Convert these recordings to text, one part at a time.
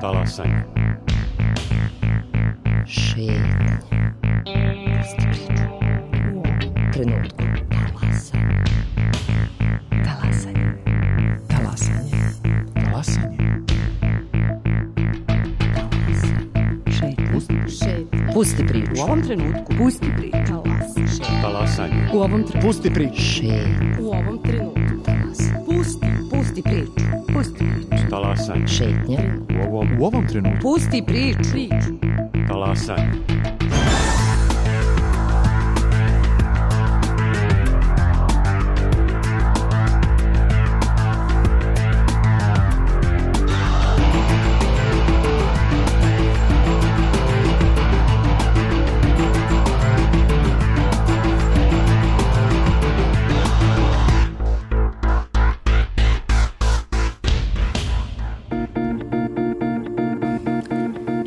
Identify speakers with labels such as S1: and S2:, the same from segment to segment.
S1: Talasanje.
S2: Šetnje. Pusti priču. U ovom trenutku. Talasanje. Talasanje. Talasanje.
S3: Talasanje.
S2: Pusti priču.
S4: U ovom trenutku. Pusti priču.
S1: Talasanje.
S4: U ovom trenutku.
S3: Pusti priču.
S2: Šetnje.
S4: U ovom trenutku. Pusti priču. Pusti priču.
S1: Talasanje.
S2: Šetnje.
S3: U ovom trenutku.
S4: Pusti priču.
S1: Talasanje.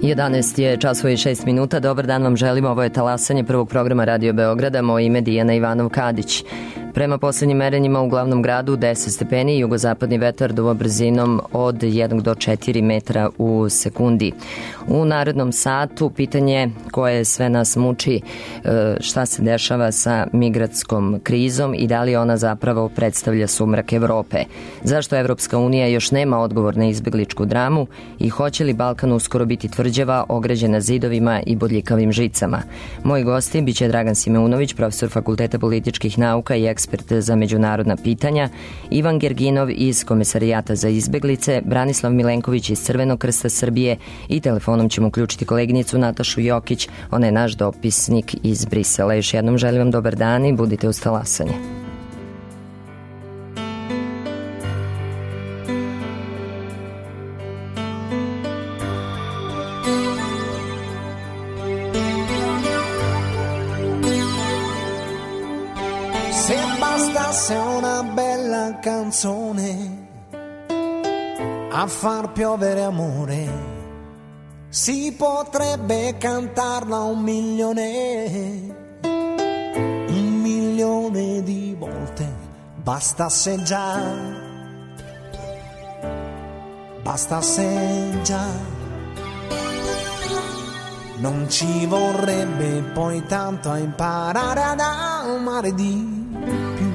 S2: Jedanaest je časova i 6 minuta. Dobar dan vam želimo. Ovo je Talasanje prvog programa Radio Beograda. Moje ime Dijana Ivanov-Kadić. Prema poslednjim merenjima u glavnom gradu 10 stepeni, jugozapadni vetar duva brzinom od 1 do 4 metra u sekundi. U narednom satu pitanje koje sve nas muči, šta se dešava sa migratskom krizom i da li ona zapravo predstavlja sumrak Evrope. Zašto Evropska unija još nema odgovor na izbegličku dramu i hoće li Balkan uskoro biti tvrđava ograđena zidovima i bodljikavim žicama. Moji gosti biće Dragan Simeunović, profesor Fakulteta političkih nauka i ekspert za međunarodna pitanja, Ivan Gerginov iz Komesarijata za izbeglice, Branislav Milenković iz Crvenog krsta Srbije i telefonom ćemo uključiti koleginicu Natašu Jokić, ona je naš dopisnik iz Brisela. Još jednom želim vam dobar dan i budite uz Talasanje.
S5: Se una bella canzone a far piovere amore, si potrebbe cantarla 1.000.000 di volte, bastasse già, non ci vorrebbe poi tanto a imparare ad amare di più.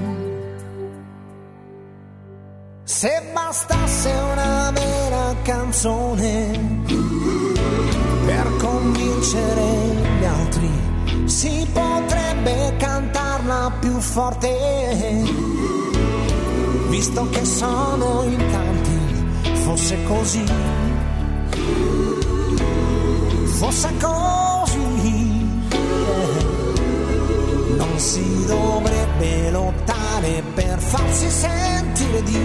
S5: Se bastasse una vera canzone per convincere gli altri, si potrebbe cantarla più forte, visto che sono in tanti. Fosse così, non si dovrebbe lottare per farsi sentire di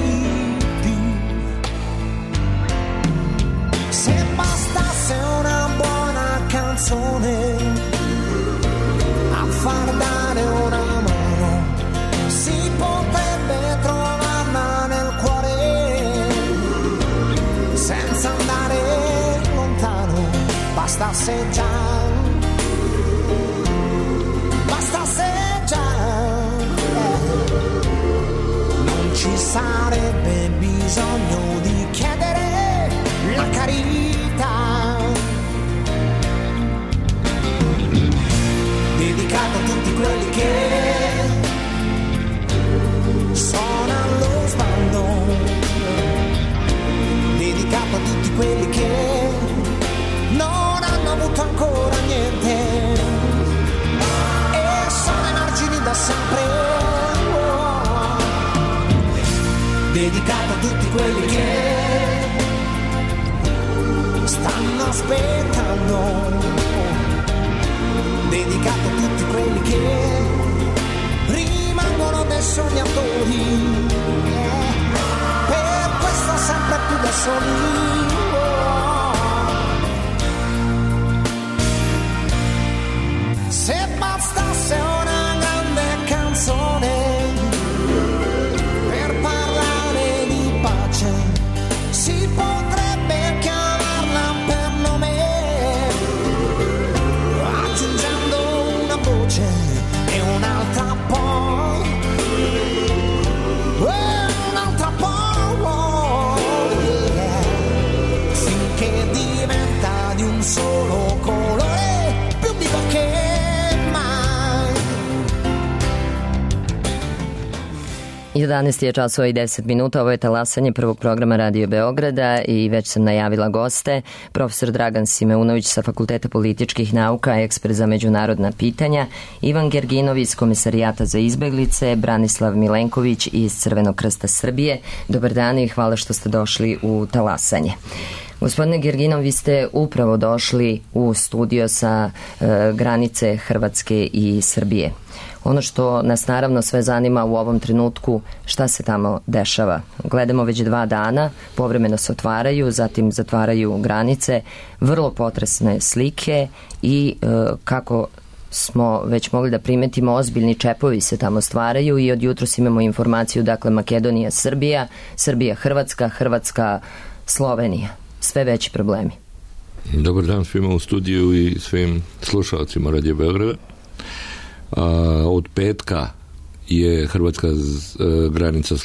S5: più. Se bastasse una buona canzone a far dare una mano, si potrebbe trovarla nel cuore senza andare lontano. Bastasse già, non ci sarebbe bisogno di chiedere la carità. Dedicato a tutti quelli che sono allo sbando, dedicato a tutti quelli che non hanno avuto ancora niente e sono ai margini da sempre. Dedicato a tutti quelli che stanno aspettando, dedicato a tutti quelli che rimangono dei sognatori, per questo sempre più da soli. Se bastasse una grande canzone per parlare di pace, si potrebbe chiamarla per nome, aggiungendo una voce e un'altra poi, un'altra poi, yeah.
S2: 11 je časova i 10 minuta, ovo je talasanje prvog programa Radio Beograda i već sam najavila goste. Profesor Dragan Simeunović sa Fakulteta političkih nauka, ekspert za međunarodna pitanja, Ivan Gerginov iz Komisarijata za izbeglice, Branislav Milenković iz Crvenog krsta Srbije. Dobar dan i hvala što ste došli u talasanje. Gospodine Gerginov, vi ste upravo došli u studio sa granice Hrvatske i Srbije. Ono što nas naravno sve zanima u ovom trenutku, šta se tamo dešava. Gledamo već 2 dana, povremeno se otvaraju, zatim zatvaraju granice, vrlo potresne slike i kako smo već mogli da primetimo, ozbiljni čepovi se tamo stvaraju i od jutros imamo informaciju, dakle Makedonija, Srbija, Srbija, Hrvatska, Hrvatska, Slovenija. Sve veći problemi.
S6: Dobar dan svima u studiju i svim slušalcima Radio Beograda. Od petka je hrvatska granica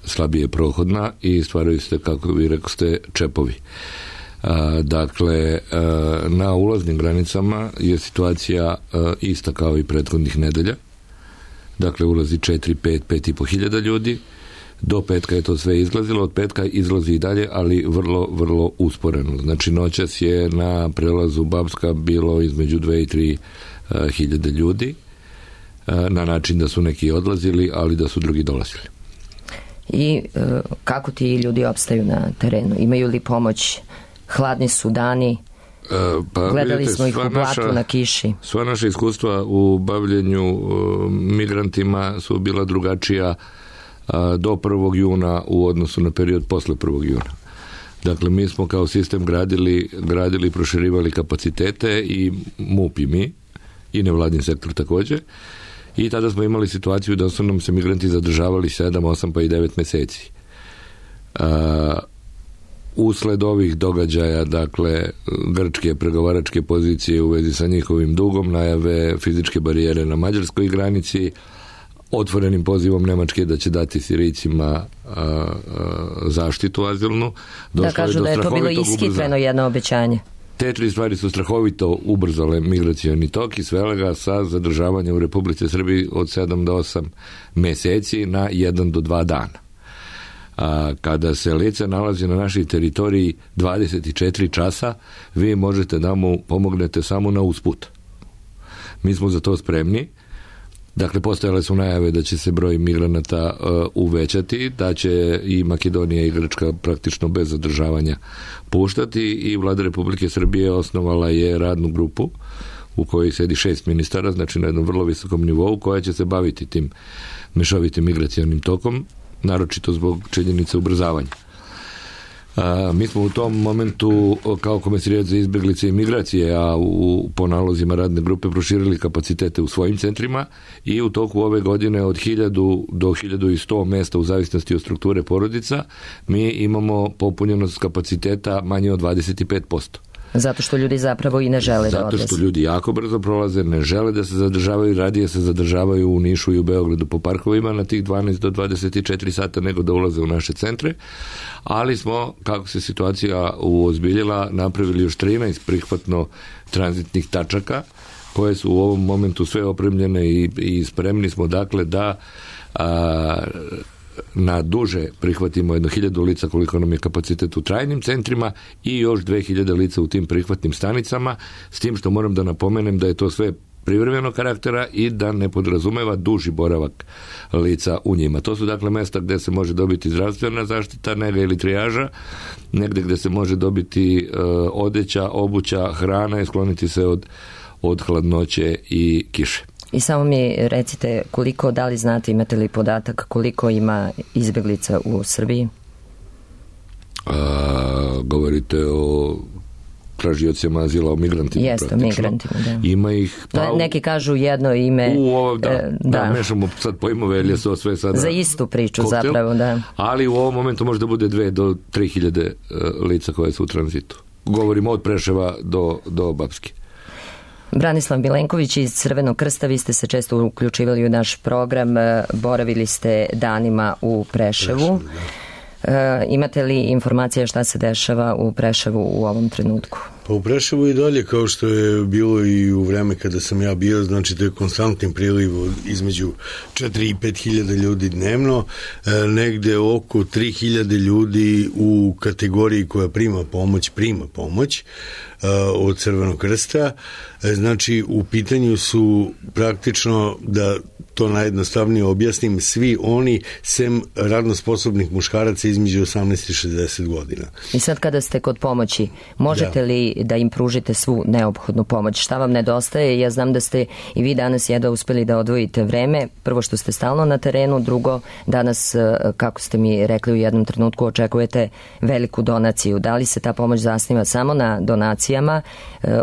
S6: slabije prohodna i stvaraju se, kako vi rekoste, čepovi. Dakle, na ulaznim granicama je situacija ista kao i prethodnih nedelja. Dakle, ulazi 4, 5, 5,5 hiljada ljudi. Do petka je to sve izlazilo, od petka izlazi i dalje, ali vrlo, vrlo usporeno. Znači, noćas je na prelazu Bapska bilo između 2 i 3 hiljade ljudi, na način da su neki odlazili, ali da su drugi dolazili.
S2: I kako ti ljudi opstaju na terenu? Imaju li pomoć? Hladni su dani? Gledali vidite, smo ih u blatu na kiši.
S6: Sva naša iskustva u bavljenju migrantima su bila drugačija do 1. juna u odnosu na period posle 1. juna. Dakle, mi smo kao sistem gradili i proširivali kapacitete i MUP i mi, i nevladin sektor također. I tada smo imali situaciju da su nam se migranti zadržavali 7, 8 pa i 9 meseci. Usled ovih događaja, dakle, grčke pregovaračke pozicije u vezi sa njihovim dugom, najave fizičke barijere na mađarskoj granici, otvorenim pozivom Nemačke da će dati Sirijcima zaštitu azilnu.
S2: Da kažu da je to bilo ishitreno jedno obećanje.
S6: Te 3 stvari su strahovito ubrzale migracioni tok i svele ga sa zadržavanja u Republici Srbiji od 7 do 8 meseci na 1 do 2 dana. Kada se lice nalazi na našoj teritoriji 24 časa, vi možete da mu pomognete samo na usput. Mi smo za to spremni. Dakle, postojale su najave da će se broj migranata uvećati, da će i Makedonija i Grčka praktično bez zadržavanja puštati i Vlada Republike Srbije osnovala je radnu grupu u kojoj sedi 6 ministara, znači na jednom vrlo visokom nivou, koja će se baviti tim mešovitim migracionim tokom, naročito zbog činjenice ubrzavanja. Mi smo u tom momentu kao Komisarijat za izbeglice i migracije, a po nalozima radne grupe proširili kapacitete u svojim centrima i u toku ove godine od 1000 do 1100 mesta u zavisnosti od strukture porodica mi imamo popunjenost kapaciteta manje od 25%.
S2: Zato što ljudi zapravo i ne žele da odlaze.
S6: Zato što ljudi jako brzo prolaze, ne žele da se zadržavaju, radije se zadržavaju u Nišu i u Beogradu po parkovima na tih 12 do 24 sata nego da ulaze u naše centre, ali smo, kako se situacija uozbiljila, napravili još 13 prihvatno tranzitnih tačaka koje su u ovom momentu sve opremljene i spremni smo dakle da na duže prihvatimo 1000 lica koliko nam je kapacitet u trajnim centrima i još 2000 lica u tim prihvatnim stanicama, s tim što moram da napomenem da je to sve privremenog karaktera i da ne podrazumeva duži boravak lica u njima. To su dakle mesta gde se može dobiti zdravstvena zaštita, nega ili trijaža, negde gde se može dobiti odeća, obuća, hrana i skloniti se od hladnoće i kiše.
S2: I samo mi recite koliko, da li znate, imate li podatak koliko ima izbeglica u Srbiji?
S6: Govorite o tražiocima azila, o migrantima.
S2: Jeste, migrantima, da.
S6: Ima ih...
S2: neki kažu jedno ime...
S6: Da, mešamo sad pojmove, jer je to sve sada...
S2: Za istu priču koktel, zapravo, da.
S6: Ali u ovom momentu može da bude 2 do 3.000 lica koje su u tranzitu. Govorimo od Preševa do Bapske.
S2: Branislav Milenković iz Crvenog krsta, vi ste se često uključivali u naš program, boravili ste danima u Preševu. Imate li informacija šta se dešava u Preševu u ovom trenutku?
S7: Pa u Preševu i dalje, kao što je bilo i u vreme kada sam ja bio, znači to je konstantni priliv između 4 i 5 hiljada ljudi dnevno, negde oko 3 hiljade ljudi u kategoriji koja prima pomoć od Crvenog krsta. Znači u pitanju su praktično, da to najjednostavnije objasnim, svi oni sem radno sposobnih muškaraca između 18 i 60 godina.
S2: I sad kada ste kod pomoći, možete li da im pružite svu neophodnu pomoć? Šta vam nedostaje? Ja znam da ste i vi danas jedva uspeli da odvojite vreme. Prvo što ste stalno na terenu, drugo danas, kako ste mi rekli u jednom trenutku, očekujete veliku donaciju. Da li se ta pomoć zasniva samo na donacijama?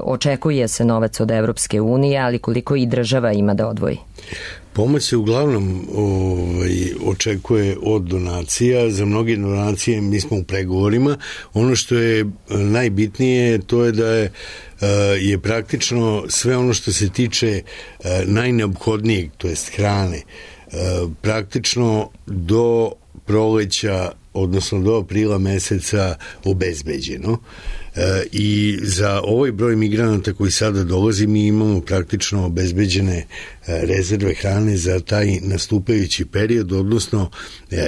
S2: Očekuje se novac od Evropske unije, ali koliko i država ima da odvoji?
S7: Pomoć se uglavnom očekuje od donacija. Za mnoge donacije mi smo u pregovorima. Ono što je najbitnije to je da je praktično sve ono što se tiče najneophodnijeg, to jest hrane, praktično do proleća, odnosno do aprila meseca obezbeđeno. I za ovaj broj migranata koji sada dolazi mi imamo praktično obezbeđene rezerve hrane za taj nastupajući period, odnosno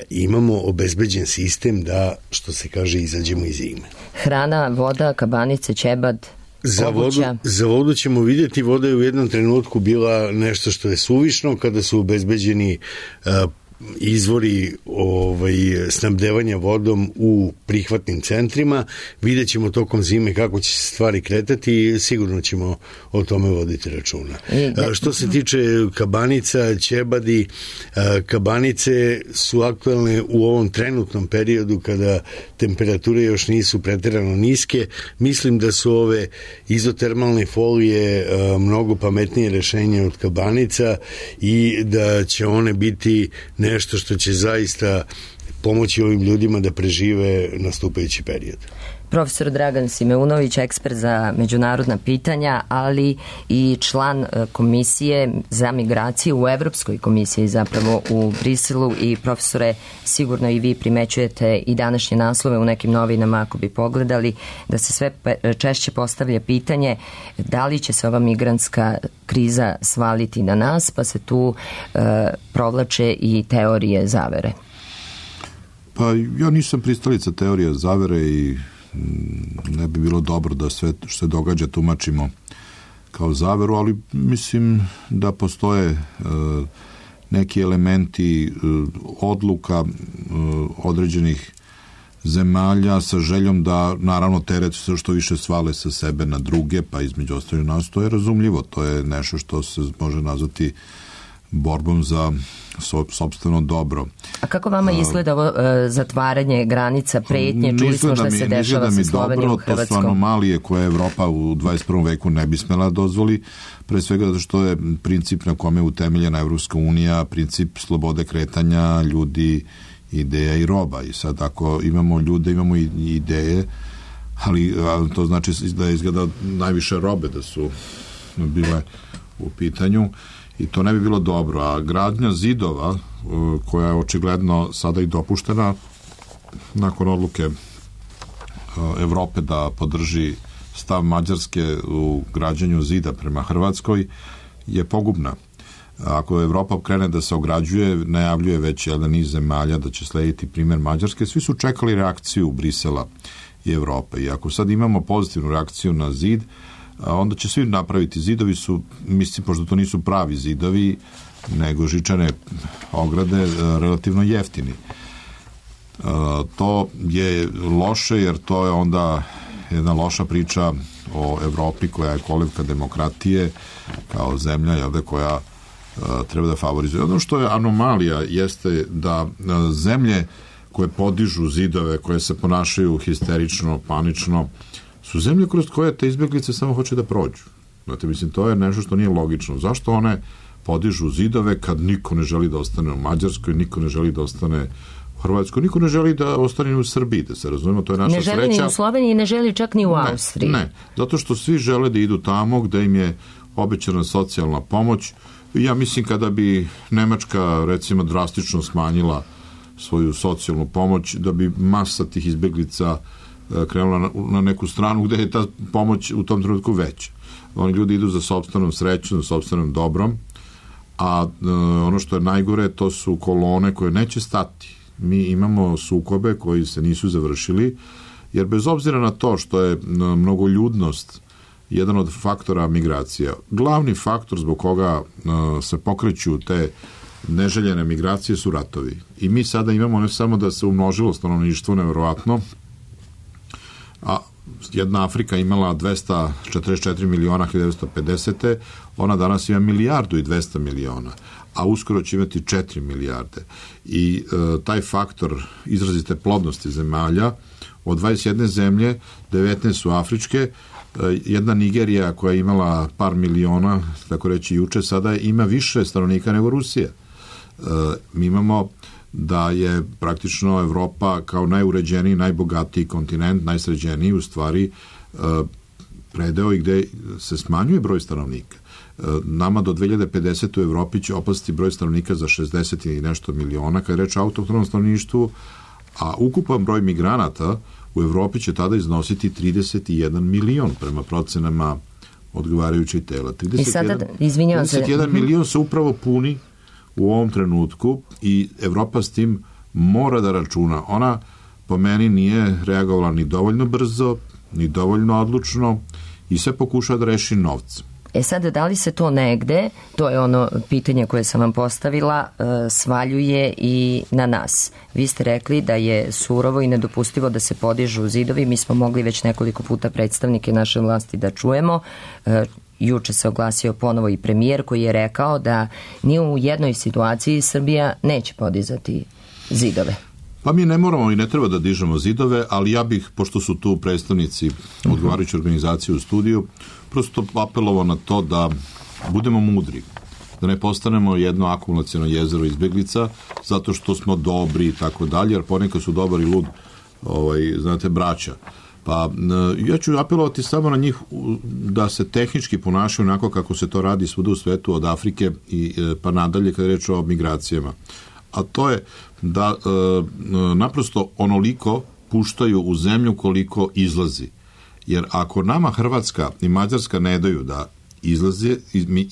S7: imamo obezbeđen sistem da, što se kaže, izađemo iz zime.
S2: Hrana, voda, kabanice, ćebad,
S7: Za vodu ćemo vidjeti. Voda je u jednom trenutku bila nešto što je suvišno kada su obezbeđeni izvori snabdevanja vodom u prihvatnim centrima. Vidjet ćemo tokom zime kako će se stvari kretati i sigurno ćemo o tome voditi računa. Što se tiče kabanica, ćebadi, kabanice su aktualne u ovom trenutnom periodu kada temperature još nisu preterano niske. Mislim da su ove izotermalne folije mnogo pametnije rešenje od kabanica i da će one biti nešto što će zaista pomoći ovim ljudima da prežive nastupajući period.
S2: Profesor Dragan Simeunović, ekspert za međunarodna pitanja, ali i član komisije za migraciju u Evropskoj komisiji, zapravo u Briselu. I profesore, sigurno i vi primećujete i današnje naslove u nekim novinama, ako bi pogledali, da se sve češće postavlja pitanje da li će se ova migrantska kriza svaliti na nas, pa se tu provlače i teorije zavere.
S8: Pa ja nisam pristalica teorije zavere i ne bi bilo dobro da sve što se događa tumačimo kao zaveru, ali mislim da postoje neki elementi odluka određenih zemalja sa željom da naravno teret što više svale sa sebe na druge, pa između ostalih nas, to je razumljivo, to je nešto što se može nazvati borbom za sopstveno dobro. A
S2: kako vama izgleda ovo zatvaranje granica, pretnje? Čuli smo šta se dešava sa Slovenijom, Hrvatskom.
S8: To su anomalije koje Evropa u 21. veku ne bi smela dozvoli, pre svega zato što je princip na kome je utemeljena Evropska unija, princip slobode kretanja ljudi, ideja i roba. I sad ako imamo ljude, imamo i ideje, ali to znači da je izgleda najviše robe da su bile u pitanju. I to ne bi bilo dobro. A gradnja zidova, koja je očigledno sada i dopuštena nakon odluke Evrope da podrži stav Mađarske u građenju zida prema Hrvatskoj, je pogubna. Ako Evropa krene da se ograđuje, najavljuje već jedan niz zemalja da će slediti primjer Mađarske, svi su čekali reakciju Brisela i Evrope. I ako sad imamo pozitivnu reakciju na zid, onda će svi napraviti. Zidovi su, mislim, pošto to nisu pravi zidovi, nego žičane ograde, relativno jeftini. To je loše, jer to je onda jedna loša priča o Evropi koja je kolevka demokratije, kao zemlja koja treba da favorizuje. Ono što je anomalija jeste da zemlje koje podižu zidove, koje se ponašaju histerično, panično, su zemlje kroz koje te izbjeglice samo hoće da prođu. Znate, mislim, to je nešto što nije logično. Zašto one podižu zidove kad niko ne želi da ostane u Mađarskoj, niko ne želi da ostane u Hrvatskoj, niko ne želi da ostane u Srbiji, da se razumemo, to je naša sreća.
S2: Ne želi ni u Sloveniji, ne želi čak ni u Austriji.
S8: Ne, zato što svi žele da idu tamo gde im je obećana socijalna pomoć. Ja mislim kada bi Nemačka, recimo, drastično smanjila svoju socijalnu pomoć, da bi masa tih izbjeglica krenula na neku stranu gde je ta pomoć u tom trenutku veća. Oni ljudi idu za sopstvenom srećom, za sopstvenom dobrom, a ono što je najgore, to su kolone koje neće stati. Mi imamo sukobe koji se nisu završili, jer bez obzira na to što je mnogoljudnost jedan od faktora migracija, glavni faktor zbog koga se pokreću te neželjene migracije su ratovi. I mi sada imamo ne samo da se umnožilo stanovništvo nevjerovatno, a jedna Afrika imala 244 miliona 1950. Ona danas ima 1,2 milijarde, a uskoro će imati 4 milijarde. I taj faktor izrazite plodnosti zemalja, od 21 zemlje, 19 su afričke, jedna Nigerija koja je imala par miliona, tako reći juče, sada ima više stanovnika nego Rusija. Mi imamo da je praktično Evropa kao najuređeniji, najbogatiji kontinent, najsređeniji u stvari predeo i gde se smanjuje broj stanovnika. Nama do 2050. u Evropi će opasti broj stanovnika za 60 i nešto miliona, kada je reč o autohtonom stanovništvu, a ukupan broj migranata u Evropi će tada iznositi 31 milion prema procenama odgovarajućih tela. 31 milion se upravo puni u ovom trenutku i Evropa s tim mora da računa. Ona po meni nije reagovala ni dovoljno brzo, ni dovoljno odlučno i sve pokušava da reši novcem.
S2: Sad, da li se to negde, to je ono pitanje koje sam vam postavila, svaljuje i na nas? Vi ste rekli da je surovo i nedopustivo da se podižu zidovi. Mi smo mogli već nekoliko puta predstavnike naše vlasti da čujemo. Juče se oglasio ponovo i premijer koji je rekao da ni u jednoj situaciji Srbija neće podizati zidove.
S8: Pa mi ne moramo i ne treba da dižemo zidove, ali ja bih, pošto su tu predstavnici odgovarajuće organizacije u studiju, prosto apelovao na to da budemo mudri, da ne postanemo jedno akumulaciono jezero izbeglica, zato što smo dobri i tako dalje, jer ponekad su dobar i lud, znate, braća. Pa ja ću apelovati samo na njih da se tehnički ponašaju onako kako se to radi svuda u svetu, od Afrike i pa nadalje kada je reč o migracijama. A to je da naprosto onoliko puštaju u zemlju koliko izlazi. Jer ako nama Hrvatska i Mađarska ne daju da izlaze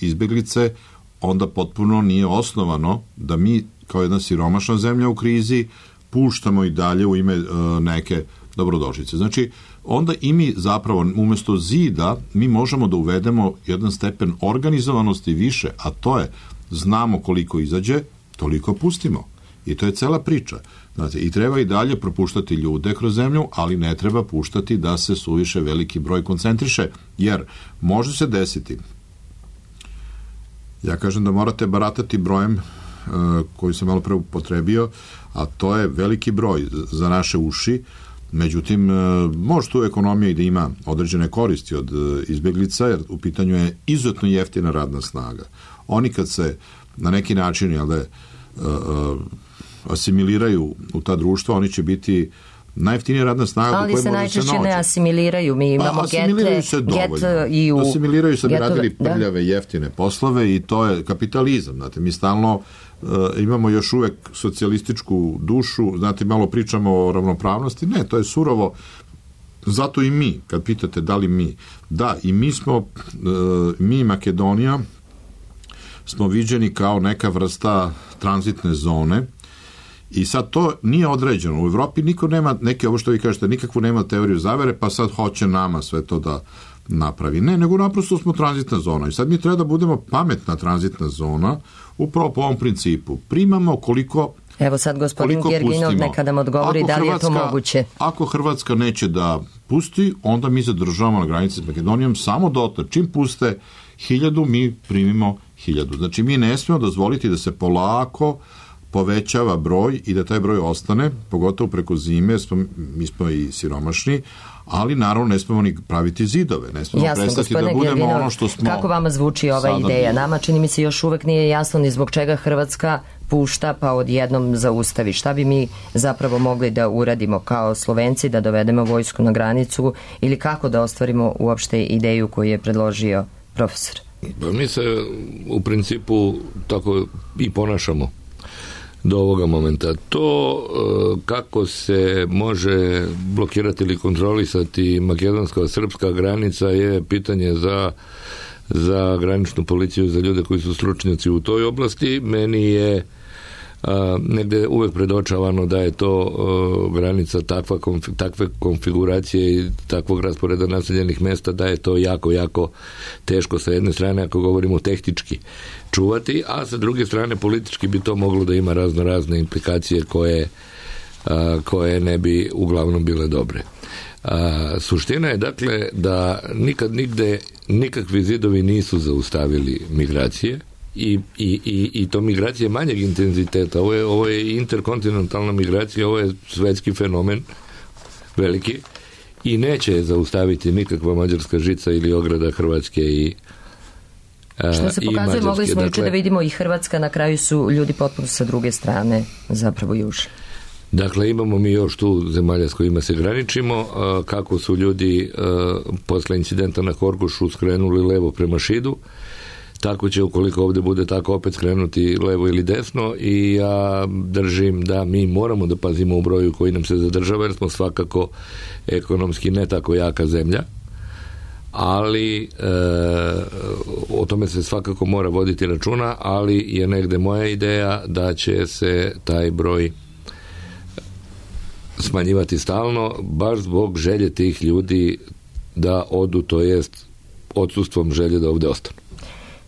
S8: izbeglice, onda potpuno nije osnovano da mi kao jedna siromašna zemlja u krizi puštamo i dalje u ime neke dobrodošlice. Znači, onda i mi zapravo umjesto zida mi možemo da uvedemo jedan stepen organizovanosti više, a to je znamo koliko izađe, toliko pustimo. I to je cela priča. Znate, i treba i dalje propuštati ljude kroz zemlju, ali ne treba puštati da se suviše veliki broj koncentriše, jer može se desiti. Ja kažem da morate baratati brojem koji sam malo pre upotrebio, a to je veliki broj za naše uši. Međutim, može tu ekonomija i da ima određene koristi od izbjeglica, jer u pitanju je izuzetno jeftina radna snaga. Oni kad se na neki način asimiliraju u ta društva, oni će biti najjeftinija radna snaga.
S2: Ali se najčešće ne asimiliraju. Mi imamo
S8: asimiliraju se dovoljno. Asimiliraju se, bi radili prljave, jeftine poslove i to je kapitalizam. Znate, mi stalno imamo još uvek socijalističku dušu, znate, malo pričamo o ravnopravnosti. Ne, to je surovo. Zato i mi, kad pitate da li mi, da, i mi smo, mi Makedonija, smo viđeni kao neka vrsta tranzitne zone i sad to nije određeno. U Evropi niko nema neke, ovo što vi kažete, nikakvu nema teoriju zavere, pa sad hoće nama sve to da napravi. Ne, nego naprosto smo tranzitna zona i sad mi treba da budemo pametna tranzitna zona upravo po ovom principu. Primamo koliko
S2: Evo sad gospodin Gerginov neka nam odgovori da li je to moguće.
S8: Ako Hrvatska neće da pusti, onda mi zadržavamo na granici s Makedonijom samo dotle. Čim puste 1000, mi primimo 1000. Znači mi ne smemo dozvoliti da se polako povećava broj i da taj broj ostane, pogotovo preko zime, mi smo i siromašni, ali naravno ne smemo ni praviti zidove, ne smemo prestati da budemo Gerginov, ono što smo.
S2: Kako vama zvuči ova ideja? Nama čini mi se još uvek nije jasno ni zbog čega Hrvatska pušta pa odjednom zaustavi. Šta bi mi zapravo mogli da uradimo kao Slovenci, da dovedemo vojsku na granicu ili kako da ostvarimo uopšte ideju koju je predložio profesor?
S6: Pa mi se u principu tako i ponašamo. do ovoga momenta. To kako se može blokirati ili kontrolisati makedonsko-srpska granica je pitanje za graničnu policiju, za ljude koji su stručnjaci u toj oblasti. Meni je negde uvek predočavano da je to granica takve konfiguracije i takvog rasporeda naseljenih mesta, da je to jako, jako teško sa jedne strane, ako govorimo tehnički, čuvati, a sa druge strane politički bi to moglo da ima razne implikacije koje ne bi uglavnom bile dobre. Suština je dakle da nikad nigde nikakvi zidovi nisu zaustavili migracije i to migracije manjeg intenziteta. Ovo je interkontinentalna migracija, ovo je svetski fenomen veliki i neće zaustaviti nikakva mađarska žica ili ograda Hrvatske i
S2: što se pokazuje, mogli smo juče da vidimo i Hrvatska, na kraju su ljudi potpuno sa druge strane zapravo južni.
S6: Dakle, imamo mi još tu zemalja s kojima se graničimo, kako su ljudi posle incidenta na Horgošu skrenuli levo prema Šidu, tako će, ukoliko ovde bude tako, opet skrenuti levo ili desno, i ja držim da mi moramo da pazimo u broju koji nam se zadržava, jer smo svakako ekonomski ne tako jaka zemlja, ali o tome se svakako mora voditi računa, ali je negde moja ideja da će se taj broj smanjivati stalno, baš zbog želje tih ljudi da odu, to jest odsustvom želje da ovde ostanu.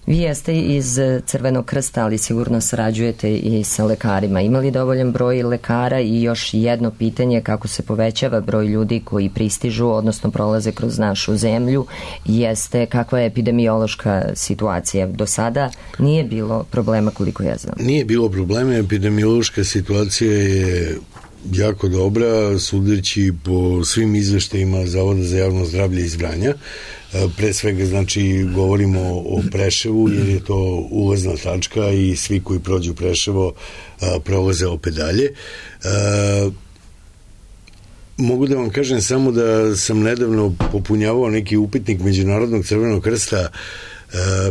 S2: Vi jeste iz Crvenog krsta, ali sigurno sarađujete i sa lekarima. Ima li dovoljan broj lekara? I još jedno pitanje, kako se povećava broj ljudi koji pristižu, odnosno prolaze kroz našu zemlju, jeste kakva je epidemiološka situacija. Do sada nije bilo problema, koliko ja znam.
S7: Nije bilo problema, epidemiološka situacija je jako dobra, sudeći po svim izveštajima Zavoda za javno zdravlje iz Vranja. Pre svega, znači, govorimo o Preševu, jer je to ulazna tačka i svi koji prođu Preševo prolaze opet dalje. Mogu da vam kažem samo da sam nedavno popunjavao neki upitnik Međunarodnog Crvenog krsta,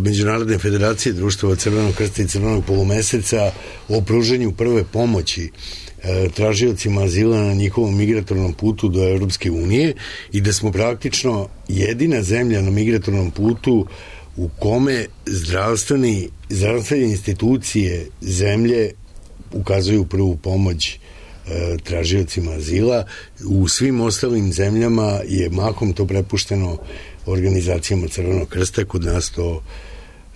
S7: Međunarodne federacije društava Crvenog krsta i Crvenog polumeseca, o pruženju prve pomoći tražiocima azila na njihovom migratornom putu do Evropske unije, i da smo praktično jedina zemlja na migratornom putu u kome zdravstvene institucije zemlje ukazuju prvu pomoć tražiocima azila. U svim ostalim zemljama je mahom to prepušteno organizacijama Crvenog krsta. Kod nas to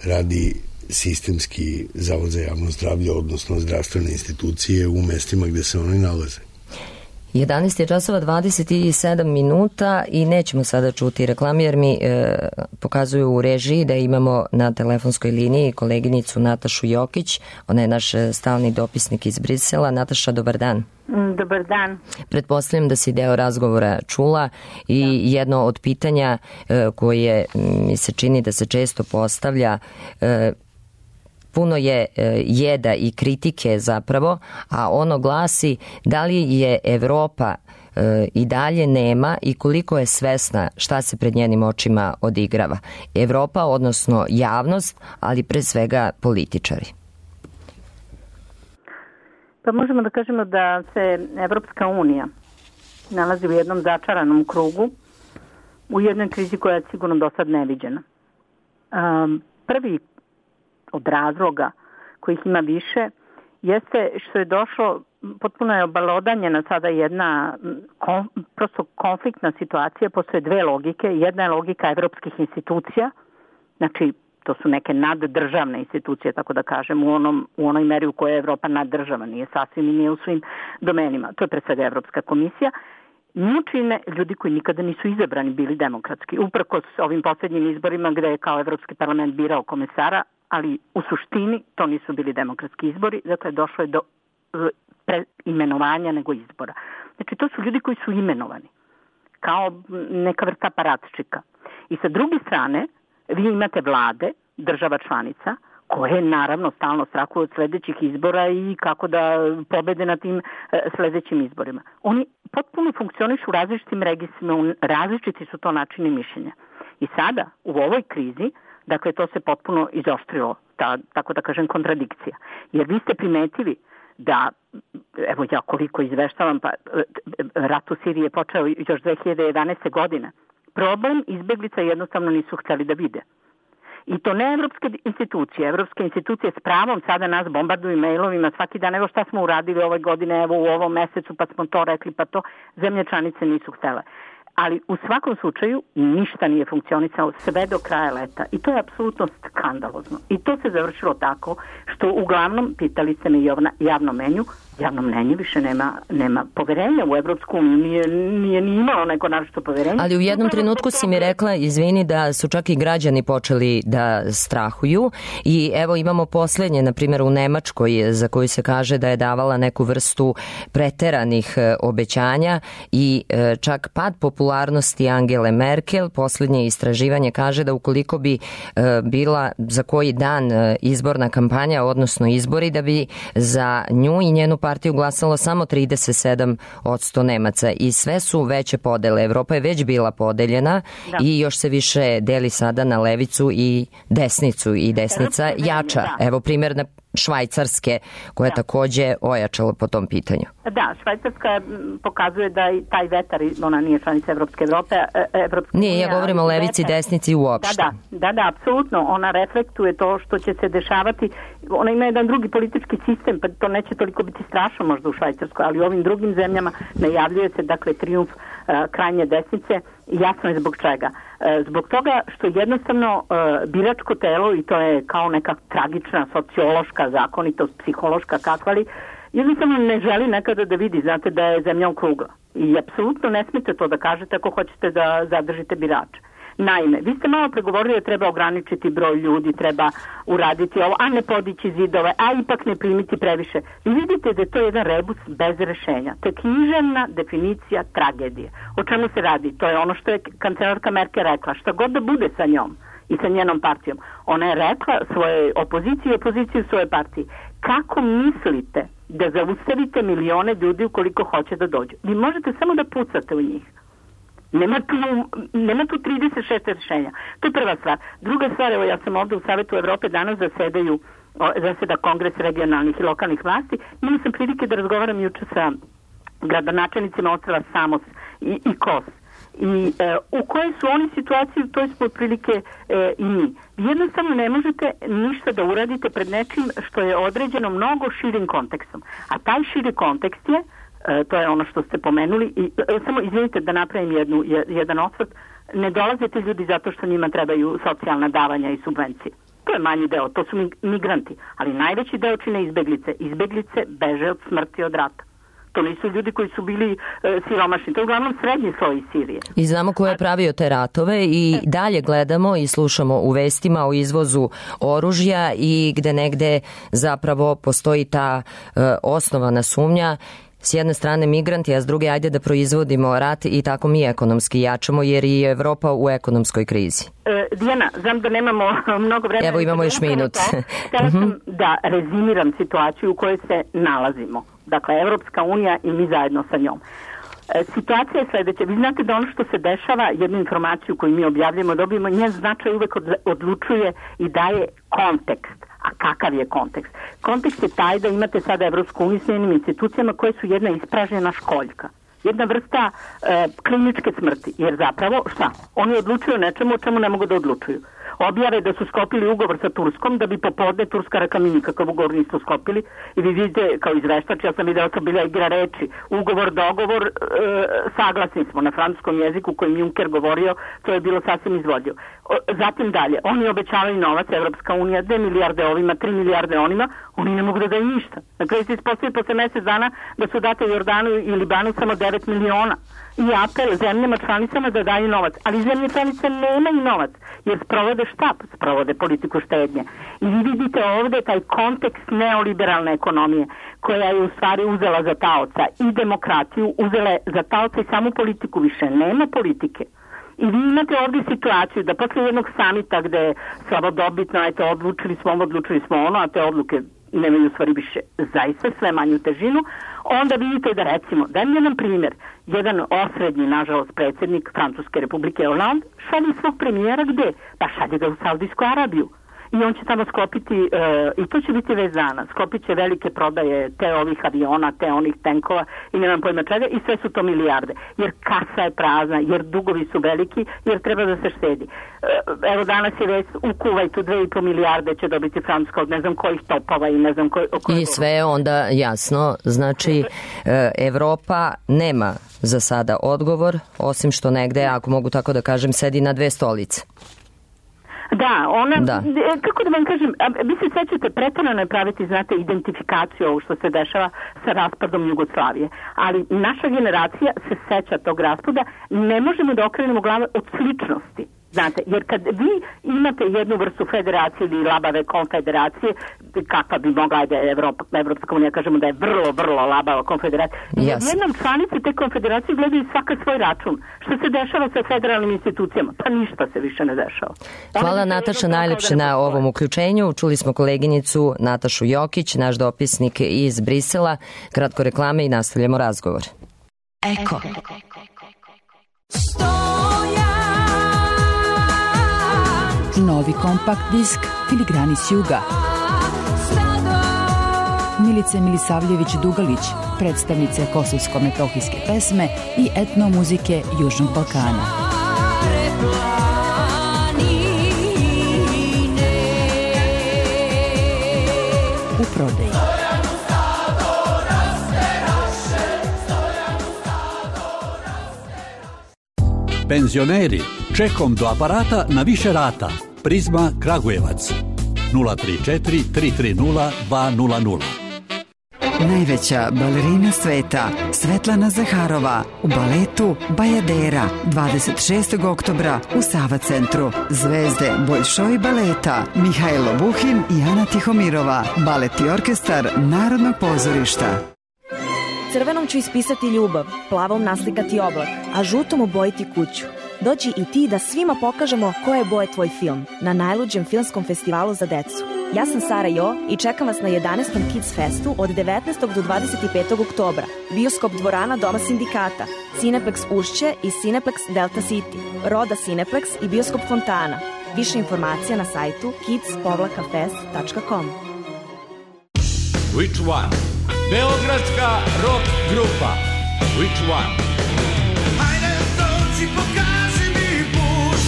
S7: radi sistemski Zavod za javno zdravlje, odnosno zdravstvene institucije u mestima gde se oni nalaze.
S2: 11 je časova 27 minuta i nećemo sada čuti reklame, jer mi pokazuju u režiji da imamo na telefonskoj liniji koleginicu Natašu Jokić. Ona je naš stalni dopisnik iz Brisela. Nataša, dobar dan.
S9: Dobar dan.
S2: Pretpostavljam da si deo razgovora čula i jedno od pitanja koje mi se čini da se često postavlja, puno je jeda i kritike zapravo, a ono glasi da li je Evropa i dalje nema i koliko je svesna šta se pred njenim očima odigrava. Evropa, odnosno javnost, ali pre svega političari.
S9: Pa možemo da kažemo da se Evropska unija nalazi u jednom začaranom krugu, u jednoj krizi koja je sigurno do sad neviđena. Prvi od razloga kojih ima više jeste što je došlo, potpuno je obelodanjena sada jedna prosto konfliktna situacija. Postoje dve logike. Jedna je logika evropskih institucija, znači to su neke naddržavne institucije, tako da kažem, u onoj meri u kojoj je Evropa naddržava, nije sasvim i nije u svim domenima. To je pre svega Evropska komisija. Nju čine ljudi koji nikada nisu izabrani bili demokratski. Uprkos ovim posljednjim izborima gde je kao Evropski parlament birao komesara, ali u suštini to nisu bili demokratski izbori, dakle došlo je do preimenovanja nego izbora. Znači to su ljudi koji su imenovani kao neka vrsta aparatčika. I sa druge strane vi imate vlade država članica koje naravno stalno strahuju od sledećih izbora i kako da pobede na tim sledećim izborima. Oni potpuno funkcionišu u različitim registrima, različiti su to načini mišljenja. I sada u ovoj krizi, dakle, to se potpuno izoštrilo, tako da kažem, kontradikcija. Jer vi ste primetili da, evo ja koliko izveštavam, pa rat u Siriji je počeo još 2011. godine. Problem izbeglica jednostavno nisu htjeli da vide. I to ne evropske institucije. Evropske institucije s pravom sada nas bombarduju mailovima svaki dan. Evo šta smo uradili ove godine, evo u ovom mesecu, pa smo to rekli, pa to. Zemlje članice nisu htjele. Ali u svakom slučaju ništa nije funkcionisalo sve do kraja leta. I to je apsolutno skandalozno. I to se završilo tako što uglavnom, pitali ste me i javno mnenje više nema poverenja u Evropsku uniju, nije ni imalo neko naročito poverenje.
S2: Ali u jednom trenutku si mi rekla, izvini, da su čak i građani počeli da strahuju i evo imamo posljednje, na primjer u Nemačkoj, za koju se kaže da je davala neku vrstu preteranih obećanja i čak pad popularnosti Angele Merkel. Posljednje istraživanje kaže da ukoliko bi bila za koji dan izborna kampanja, odnosno izbori, da bi za nju i njenu partiju glasalo samo 37% Nemaca i sve su veće podele. Evropa je već bila podeljena i još se više deli sada na levicu i desnicu i desnica jača. Evo primjer na Švajcarske koja je takođe ojačala po tom pitanju.
S9: Da, Švajcarska pokazuje da i taj vetar, ona nije članica Evropske Evrope.
S2: Nije, ja govorim o levici i desnici uopšte.
S9: Da, apsolutno. Ona reflektuje to što će se dešavati. Ona ima jedan drugi politički sistem, pa to neće toliko biti strašno možda u Švajcarskoj, ali u ovim drugim zemljama najavljuje se, dakle, trijumf krajnje desnice. Jasno je zbog čega. Zbog toga što jednostavno biračko telo, i to je kao neka tragična sociološka zakonitost, psihološka kakva li, jednostavno ne želi nekada da vidi, znate, da je zemlja okrugla. I apsolutno ne smijete to da kažete ako hoćete da zadržite birače. Naime, vi ste malo pregovorili da treba ograničiti broj ljudi, treba uraditi ovo, a ne podići zidove, a ipak ne primiti previše. Vi vidite da je to jedan rebus bez rešenja. To je književna definicija tragedije. O čemu se radi? To je ono što je kancelarka Merkel rekla. Šta god da bude sa njom i sa njenom partijom. Ona je rekla svojoj opoziciji i opoziciju svoje partiji. Kako mislite da zaustavite milione ljudi ukoliko hoće da dođu? Vi možete samo da pucate u njih. Nema tu 36 rešenja. To je prva stvar. Druga stvar, evo ja sam ovdje u Savetu Evrope, danas zaseda Kongres regionalnih i lokalnih vlasti. Imala sam prilike da razgovaram juče sa gradonačelnicima ostrva Samos i Kos. I u kojoj su oni situaciji, to smo otprilike i mi. Jednostavno ne možete ništa da uradite pred nečim što je određeno mnogo širim kontekstom. A taj širi kontekst je, to je ono što ste pomenuli, i samo izvinite da napravim jedan osvrt, ne dolaze ti ljudi zato što njima trebaju socijalna davanja i subvencije. To je manji deo, to su migranti, ali najveći deo čine izbeglice. Izbeglice beže od smrti, od rata. To nisu ljudi koji su bili siromašni, to je uglavnom srednji sloj iz Sirije.
S2: I znamo ko je pravio te ratove i dalje gledamo i slušamo u vestima o izvozu oružja i gde negde zapravo postoji ta osnovana sumnja. S jedne strane migranti, a s druge ajde da proizvodimo rat i tako mi ekonomski jačamo jer je Evropa u ekonomskoj krizi.
S9: Dijana, znam da nemamo mnogo vremena.
S2: Evo imamo još minut.
S9: Htjela sam da rezimiram situaciju u kojoj se nalazimo. Dakle, Evropska unija i mi zajedno sa njom. Situacija je sljedeća. Vi znate da ono što se dešava, jednu informaciju koju mi objavljamo, dobijemo, njen značaj uvek odlučuje i daje kontekst. A kakav je kontekst? Kontekst je taj da imate sada Evropsku uniju s njenim institucijama koje su jedna ispražnjena školjka. Jedna vrsta kliničke smrti. Jer zapravo, šta? Oni odlučuju nečemu o čemu ne mogu da odlučuju. Objave da su sklopili ugovor sa Turskom, da bi popodne Turska rekla mi nikakav ugovor nisu sklopili. I vi vidite, kao izveštač, ja sam videla to bila igra reči. Ugovor, dogovor, saglasni smo na francuskom jeziku kojim Juncker govorio, to je bilo sasvim izvodljivo. Zatim dalje, oni obećavaju novac, Evropska unija, 2 milijarde ovima, 3 milijarde onima, oni ne mogu da daju ništa. Na kraju se ispostavili posle mjesec dana da su date Jordanu i Libanu samo 9 miliona. I apel zemljama članicama da daju novac. Ali zemlje članice nemaju novac, jer sprovode šta? Sprovode politiku štednje. I vi vidite ovdje taj kontekst neoliberalne ekonomije, koja je u stvari uzela za taoca i demokratiju, uzela za taoca i samu politiku, više nema politike. I vi imate ovdje situaciju da posle jednog samita gde je slavodobitno, eto, odlučili smo ono, a te odluke nemaju u stvari više zaista sve manju težinu, onda vidite da recimo, dajem jedan primjer, jedan osrednji, nažalost, predsjednik Francuske republike Hollande šalje svog premijera gde? Pa šalje ga u Saudijsku Arabiju. i on će tamo sklopiti, i to će biti već dana, sklopit će velike prodaje te ovih aviona, te onih tenkova i nemam pojma čega, i sve su to milijarde. Jer kasa je prazna, jer dugovi su veliki, jer treba da se štedi. Evo danas je već u Kuvajtu 2,5 milijarde će dobiti Francuska od ne znam kojih topova i ne znam
S2: I sve je onda jasno. Znači, Evropa nema za sada odgovor, osim što negde, ako mogu tako da kažem, sedi na dve stolice.
S9: Da, ona, kako da vam kažem, vi se sećate, pretarano je praviti, znate, identifikaciju ovo što se dešava sa raspadom Jugoslavije, ali naša generacija se seća tog raspada, ne možemo da okrenemo glave od sličnosti. Znate, jer kad vi imate jednu vrstu federacije ili labave konfederacije, kakva bi mogla da je Evropska unija, kažemo da je vrlo, vrlo labava konfederacija. Jednom članici te konfederacije gledaju svaka svoj račun. Što se dešava sa federalnim institucijama? Pa ništa se više ne dešava.
S2: Hvala Nataša najlepše na ovom uključenju. Čuli smo koleginicu Natašu Jokić, naš dopisnik iz Brisela. Kratko reklame i nastavljamo razgovor.
S4: Eko. Novi kompakt disk Filigrani s juga. Milice Milisavljević-Dugalić, predstavnice kosovsko-metohijske pesme i etnomuzike Južnog Balkana. U prodaji.
S10: Penzioneri, čekom do aparata na više rata. Prizma Kragujevac 034 330 200.
S11: Najveća balerina sveta Svetlana Zaharova u baletu Bajadera 26. oktobra u Sava centru. Zvezde Boljšoj baleta Mihajlo Buhin i Ana Tihomirova. Balet i orkestar Narodnog pozorišta.
S12: Crvenom ću ispisati ljubav, plavom naslikati oblak, a žutom obojiti kuću. Dođi i ti da svima pokažemo koje je boje tvoj film na najluđem filmskom festivalu za decu. Ja sam Sara Jo i čekam vas na 11. Kids Festu od 19. do 25. oktobra. Bioskop dvorana Doma sindikata, Cineplex Ušće i Cineplex Delta City, Roda Cineplex i Bioskop Fontana. Više informacija na sajtu kids-fest.com.
S13: Which one? Beogradska rock grupa Which one?
S5: Hajde dođi pokaži mi put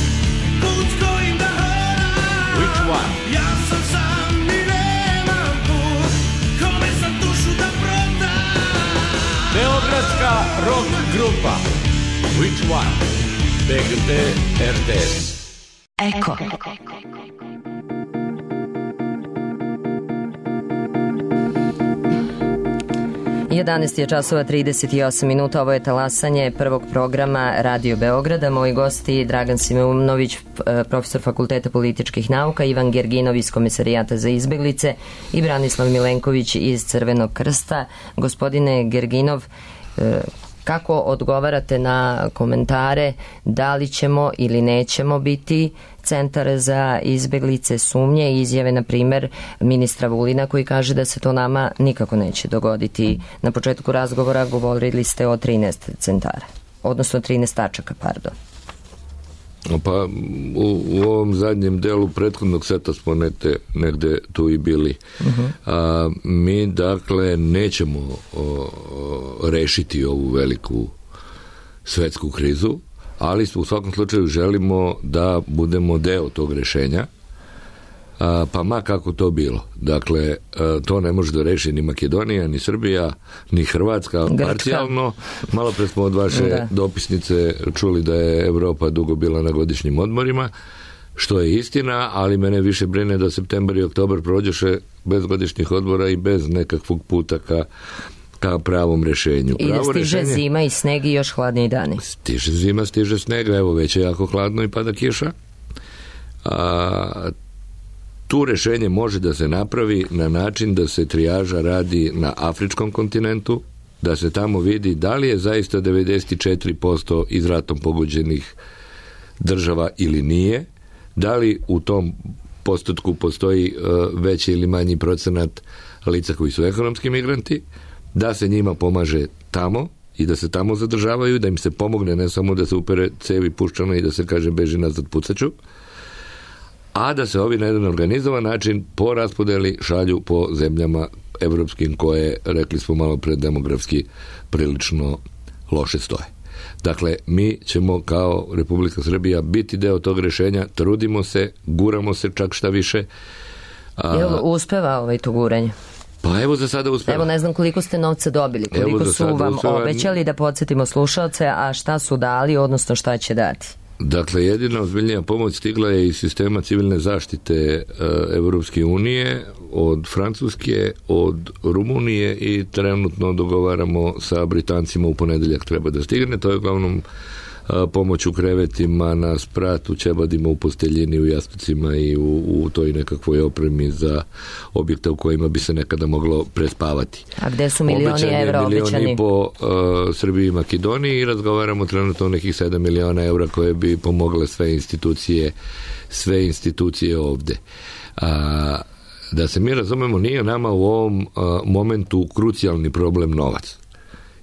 S5: s kojim da hodam.
S13: Which one?
S5: Ja sam sam i nemam put, kome sam dušu da prodam.
S13: Beogradska rock grupa Which one? BGT RTS.
S4: Eko.
S2: 11 je časova 38 minuta, ovo je talasanje prvog programa Radio Beograda. Moji gosti Dragan Simeunović, profesor Fakulteta političkih nauka, Ivan Gerginov iz Komisarijata za izbeglice i Branislav Milenković iz Crvenog krsta. Gospodine Gerginov, kako odgovarate na komentare da li ćemo ili nećemo biti centar za izbeglice, sumnje i izjave, na primer, ministra Vulina koji kaže da se to nama nikako neće dogoditi? Na početku razgovora govorili ste o 13 centara, odnosno 13 tačaka, pardon.
S6: Pa u ovom zadnjem delu prethodnog seta smo negde tu i bili. Mi dakle nećemo rešiti ovu veliku svetsku krizu, ali u svakom slučaju želimo da budemo deo tog rešenja, pa ma kako to bilo. Dakle, to ne može da reši ni Makedonija, ni Srbija, ni Hrvatska, parcijalno. Malo pre smo od vaše dopisnice čuli da je Evropa dugo bila na godišnjim odmorima, što je istina, ali mene više brine da septembar i oktobar prođeše bez godišnjih odmora i bez nekakvog puta ka pravom rešenju.
S2: I da stiže zima i sneg i još hladniji dani.
S6: Stiže zima, stiže sneg, evo već je jako hladno i pada kiša. Tu rešenje može da se napravi na način da se trijaža radi na afričkom kontinentu, da se tamo vidi da li je zaista 94% iz ratom pogođenih država ili nije, da li u tom postotku postoji veći ili manji procenat lica koji su ekonomski migranti, da se njima pomaže tamo i da se tamo zadržavaju, da im se pomogne, ne samo da se upere cevi puščano i da se kaže beži nazad pucaću, a da se ovi na jedan organizovan način po raspodeli šalju po zemljama evropskim koje, rekli smo malo pre, demografski prilično loše stoje. Dakle, mi ćemo kao Republika Srbija biti deo tog rešenja, trudimo se, guramo se čak šta više.
S2: Jel uspeva to guranje?
S6: Pa evo za sada uspeva.
S2: Evo ne znam koliko ste novca dobili, koliko su vam obećali, da podsjetimo slušalce, a šta su dali, odnosno šta će dati?
S6: Dakle, jedina ozbiljnija pomoć stigla je iz sistema civilne zaštite Evropske unije, od Francuske, od Rumunije i trenutno dogovaramo sa Britancima, u ponedeljak treba da stigne. To je uglavnom pomoć u krevetima, na spratu, ćebadima, u posteljini, u jastucima i u toj nekakvoj opremi za objekte u kojima bi se nekada moglo prespavati.
S2: A gde su milioni evra obećani?
S6: Milioni po Srbiji i Makedoniji i razgovaramo trenutno o nekih 7 miliona evra koje bi pomogle sve institucije ovde. Da se mi razumemo, nije nama u ovom momentu krucijalni problem novac.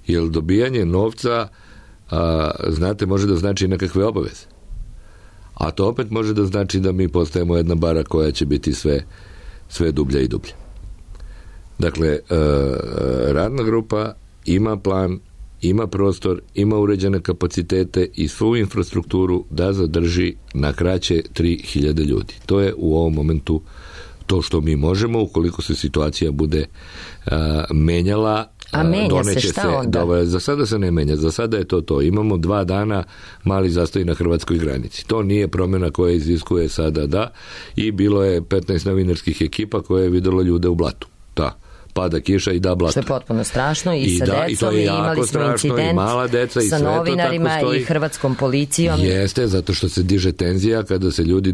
S6: Jer dobijanje novca, znate, može da znači nekakve obaveze. A to opet može da znači da mi postajemo jedna bara koja će biti sve dublja i dublja. Dakle, radna grupa ima plan, ima prostor, ima uređene kapacitete i svu infrastrukturu da zadrži na kraće 3000 ljudi. To je u ovom momentu to što mi možemo, ukoliko se situacija bude menjala.
S2: A menja se, šta onda?
S6: Za sada se ne menja, za sada je to. Imamo 2 dana mali zastoj na hrvatskoj granici. To nije promjena koja iziskuje sada i bilo je 15 novinarskih ekipa koje je videlo ljude u blatu. Pada kiša i blato.
S2: Što je potpuno strašno i sa decom, i imali smo incident sa novinarima i hrvatskom policijom.
S6: Jeste, zato što se diže tenzija kada se ljudi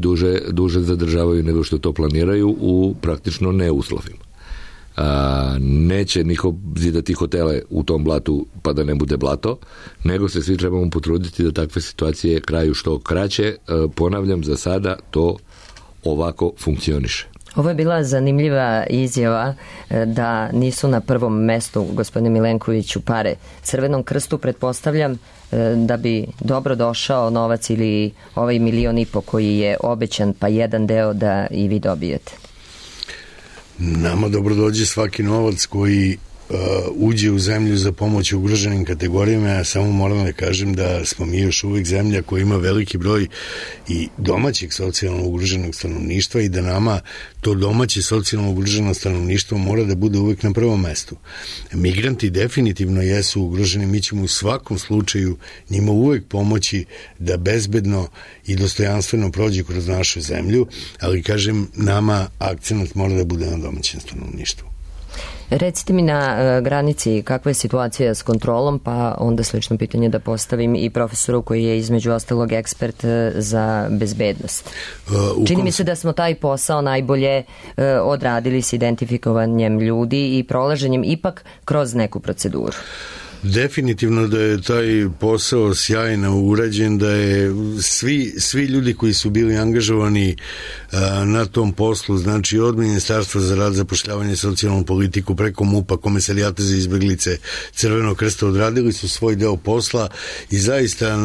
S6: duže zadržavaju nego što to planiraju u praktično neuslovima. Neće niko zidati hotele u tom blatu pa da ne bude blato, nego se svi trebamo potruditi da takve situacije kraju što kraće. Ponavljam, za sada to ovako funkcioniše.
S2: Ovo je bila zanimljiva izjava da nisu na prvom mestu, gospodine Milenkoviću, pare. Crvenom krstu pretpostavljam da bi dobro došao novac ili ovaj 1,5 miliona koji je obećan, pa jedan deo da i vi dobijete.
S7: Nama dobro dođe svaki novac koji uđe u zemlju za pomoć ugroženim kategorijama. Ja samo moram da kažem da smo mi još uvijek zemlja koja ima veliki broj i domaćeg socijalno ugroženog stanovništva i da nama to domaće socijalno ugroženo stanovništvo mora da bude uvijek na prvom mestu. Migranti definitivno jesu ugroženi, mi ćemo u svakom slučaju njima uvijek pomoći da bezbedno i dostojanstveno prođe kroz našu zemlju, ali kažem, nama akcenat mora da bude na domaćem stanovništvu.
S2: Recite mi na granici kakva je situacija s kontrolom, pa onda slično pitanje da postavim i profesoru koji je između ostalog ekspert za bezbednost. Čini mi se da smo taj posao najbolje odradili s identifikovanjem ljudi i prolaženjem ipak kroz neku proceduru.
S7: Definitivno da je taj posao sjajno urađen, da je svi ljudi koji su bili angažovani na tom poslu, znači od Ministarstva za rad, zapošljavanje i socijalnu politiku preko MUP-a, Komesarijata za izbeglice, Crvenog krsta, odradili su svoj deo posla i zaista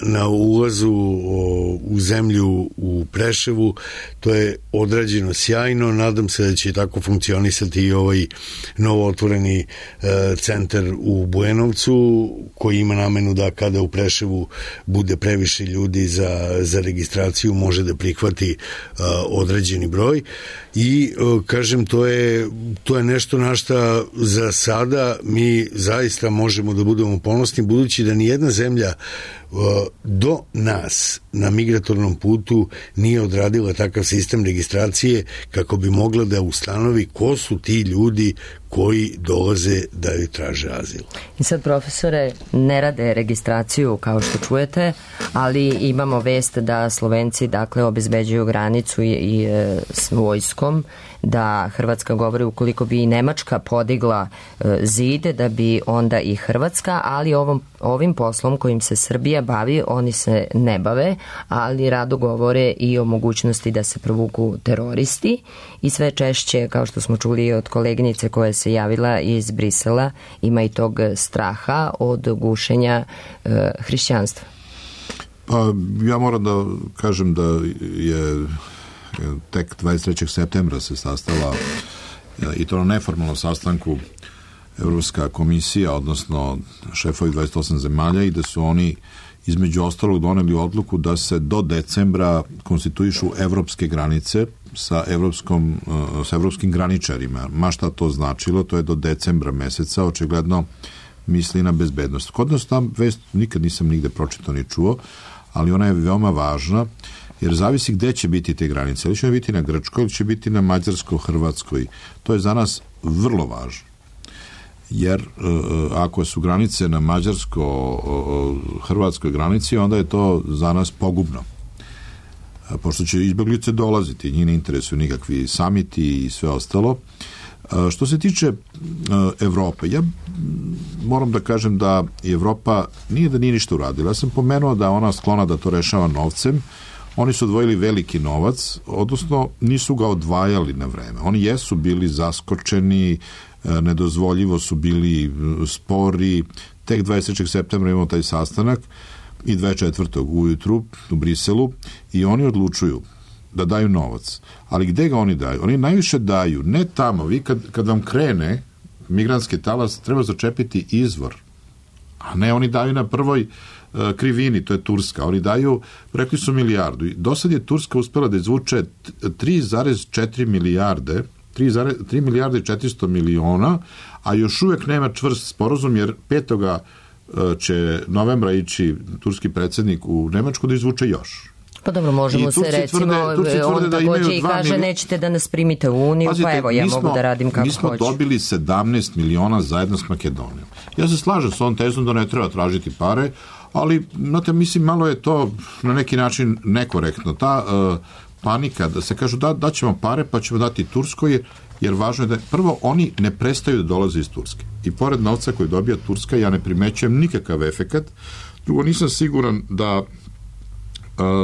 S7: na ulazu u zemlju u Preševu to je odrađeno sjajno. Nadam se da će tako funkcionisati i ovaj novo otvoreni centar u Bujanovcu, koji ima namenu da kada u Preševu bude previše ljudi za registraciju može da prihvati određeni broj i kažem, to je nešto na šta za sada mi zaista možemo da budemo ponosni, budući da nijedna zemlja do nas na migratornom putu nije odradila takav sistem registracije kako bi mogla da ustanovi ko su ti ljudi koji dolaze da joj traže azil.
S2: I sad, profesore, ne rade registraciju kao što čujete, ali imamo vest da Slovenci obezbeđuju granicu i s vojskom, da Hrvatska govori ukoliko bi i Nemačka podigla zid, da bi onda i Hrvatska, ali ovim poslom kojim se Srbija bavi, oni se ne bave, ali rado govore i o mogućnosti da se provuku teroristi i sve češće, kao što smo čuli od koleginice koja se javila iz Brisela, ima i tog straha od gušenja hrišćanstva.
S8: Pa ja moram da kažem da je tek 23. septembra se sastala i to na neformalnom sastanku Evropska komisija, odnosno šefovi 28 zemalja, i da su oni između ostalog doneli odluku da se do decembra konstituišu evropske granice sa evropskim graničarima. Ma šta to značilo, to je do decembra meseca, očigledno misli na bezbednost. Kod nas tam vest nikad nisam nigde pročitao ni čuo, ali ona je veoma važna, jer zavisi gde će biti te granice. Ili će biti na Grčkoj, ili će biti na Mađarsko-Hrvatskoj. To je za nas vrlo važno. Jer ako su granice na mađarsko-hrvatskoj granici, onda je to za nas pogubno. Pošto će izbeglice dolaziti, njih ne interesuju nikakvi samiti i sve ostalo. Što se tiče Evrope, ja moram da kažem da Evropa nije ništa uradila. Ja sam pomenuo da ona sklona da to rešava novcem. Oni su odvojili veliki novac, odnosno nisu ga odvajali na vreme. Oni jesu bili zaskočeni, nedozvoljivo su bili spori. Tek 23. septembra imamo taj sastanak i 24. ujutru u Briselu i oni odlučuju da daju novac. Ali gde ga oni daju? Oni najviše daju, ne tamo. Vi kad vam krene migrantski talas, treba začepiti izvor. A ne, oni daju na prvoj krivini, to je Turska. Oni daju, rekli su milijardu. Do sad je Turska uspela da izvuče 3,4 milijarde, 3 milijarde i 400 miliona, a još uvek nema čvrst sporazum, jer 5. će novembra ići turski predsjednik u Nemačku da izvuče još.
S2: Pa dobro, možemo se recimo, on takođe i kaže nećete da nas primite u Uniju, pa evo ja mogu da radim kako hoću.
S8: Mi smo dobili 17 miliona zajedno s Makedonijom. Ja se slažem s ovom tezom da ne treba tražiti pare, ali, znate, mislim, malo je to na neki način nekorektno. Ta panika da se kažu da ćemo pare pa ćemo dati Turskoj, jer važno je da prvo oni ne prestaju da dolaze iz Turske. I pored novca koji dobija Turska, ja ne primećujem nikakav efekat. Drugo, nisam siguran da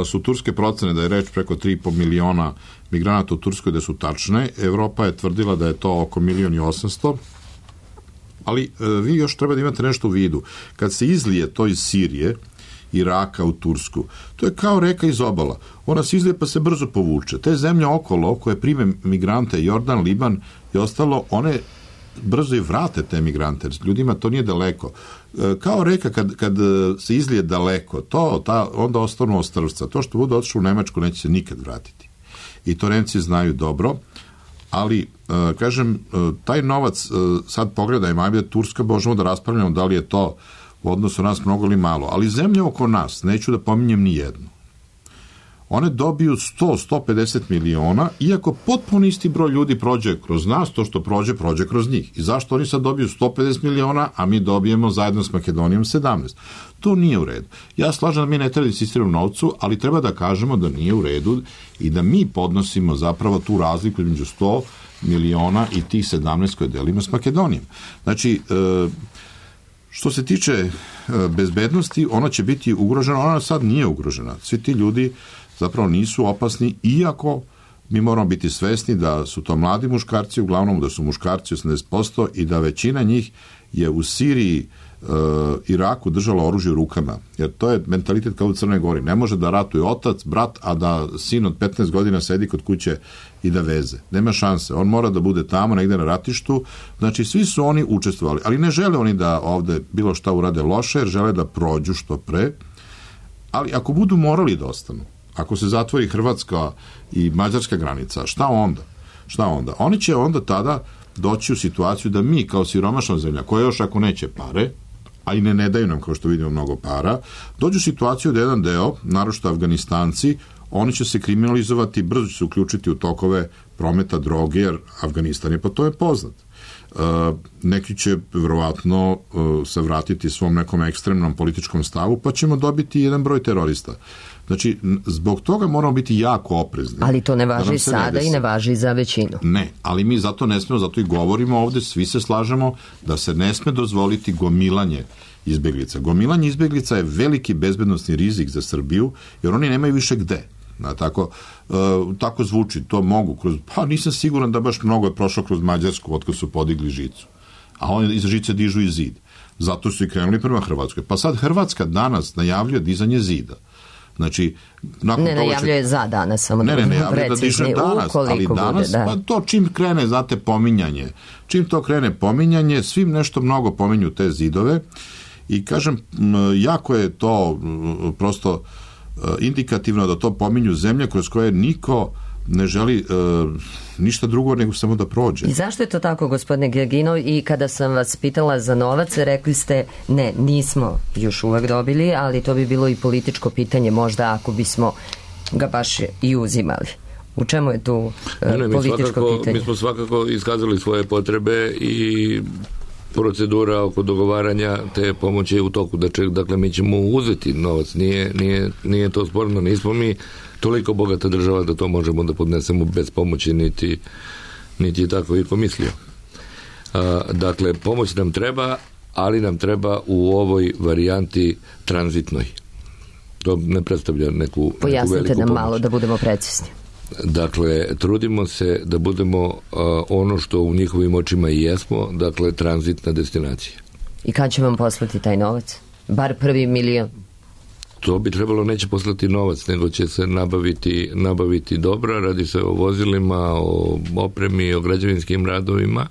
S8: su turske procene da je reč preko 3,5 miliona migranata u Turskoj da su tačne. Evropa je tvrdila da je to oko 1.800.000, ali vi još treba da imate nešto u vidu. Kad se izlije to iz Sirije, Iraka u Tursku, to je kao reka iz obala. Ona se izlije pa se brzo povuče. Te zemlje okolo koje prime migrante, Jordan, Liban i ostalo, one brzo i vrate te migrante. Ljudima to nije daleko. Kao reka kad se izlije daleko, onda ostanu ostrvca. To što bude otišlo u Nemačku neće se nikad vratiti. I to Nemci znaju dobro, ali kažem, taj novac sad pogledajmo, ajde Turska, možemo da raspravljamo da li je to u odnosu nas mnogo ili malo, ali zemlje oko nas, neću da pominjem ni jednu, one dobiju 100-150 miliona, iako potpuno isti broj ljudi prođe kroz nas, to što prođe kroz njih. I zašto oni sad dobiju 150 miliona, a mi dobijemo zajedno s Makedonijom 17? To nije u redu. Ja slažem da mi ne treba da insistiramo novcu, ali treba da kažemo da nije u redu i da mi podnosimo zapravo tu razliku između 100 miliona i tih 17 koje delimo s Makedonijom. Znači, što se tiče bezbednosti, ona će biti ugrožena, ona sad nije ugrožena. Svi ti ljudi zapravo nisu opasni, iako mi moramo biti svesni da su to mladi muškarci, uglavnom da su muškarci 80% i da većina njih je u Siriji, Iraku držala oružje u rukama. Jer to je mentalitet kao u Crnoj Gori. Ne može da ratuje otac, brat, a da sin od 15 godina sedi kod kuće i da veze. Nema šanse. On mora da bude tamo, negde na ratištu. Znači, svi su oni učestvovali. Ali ne žele oni da ovde bilo šta urade loše, jer žele da prođu što pre. Ali ako budu morali da ostanu, ako se zatvori Hrvatska i mađarska granica, šta onda? Oni će onda tada doći u situaciju da mi kao siromašna zemlja, koja još ako neće pare, a i ne daju nam, kao što vidimo, mnogo para, dođu u situaciju da jedan deo, naročito Afganistanci, oni će se kriminalizovati, brzo će se uključiti u tokove prometa droge, jer Afganistan je po tome poznat. Neki će verovatno se vratiti svom nekom ekstremnom političkom stavu, pa ćemo dobiti jedan broj terorista. Znači, zbog toga moramo biti jako oprezni.
S2: Ali to ne važi sada i ne važi za većinu.
S8: Ne, ali mi zato ne smemo, zato i govorimo ovde, svi se slažemo da se ne sme dozvoliti gomilanje izbeglica. Gomilanje izbeglica je veliki bezbednosni rizik za Srbiju, jer oni nemaju više gde. Tako zvuči, to mogu kroz, pa nisam siguran da baš mnogo je prošlo kroz Mađarsku otkad su podigli žicu, a oni iz žice dižu i zid, zato su i krenuli prema Hrvatskoj. Pa sad Hrvatska danas najavljuje dizanje zida. Znači, nakon
S2: ne najavljuje za danas, samo da budemo precizni,
S8: ali danas, pa to čim krene, znate, pominjanje. Čim to krene pominjanje, svim nešto mnogo pominju te zidove i kažem, jako je to prosto indikativno da to pominju zemlje kroz koje niko ne želi ništa drugo nego samo da prođe.
S2: I zašto je to tako, gospodine Gerginov? I kada sam vas pitala za novac, rekli ste ne, nismo još uvek dobili, ali to bi bilo i političko pitanje možda ako bismo ga baš i uzimali. U čemu je tu političko pitanje?
S6: Mi smo svakako iskazali svoje potrebe i procedura oko dogovaranja te pomoći je u toku. Dakle, mi ćemo uzeti novac. Nije to sporno. Nismo mi toliko bogata država da to možemo da podnesemo bez pomoći, niti je tako i pomislio. Dakle, pomoć nam treba, ali nam treba u ovoj varijanti tranzitnoj. To ne predstavlja neku veliku pomoć.
S2: Pojasnite nam malo da budemo precizni.
S6: Dakle, trudimo se da budemo ono što u njihovim očima i jesmo, dakle, tranzitna destinacija.
S2: I kad će vam poslati taj novac? Bar prvi milion?
S6: To bi trebalo neće poslati novac, nego će se nabaviti dobra, radi se o vozilima, o opremi, o građevinskim radovima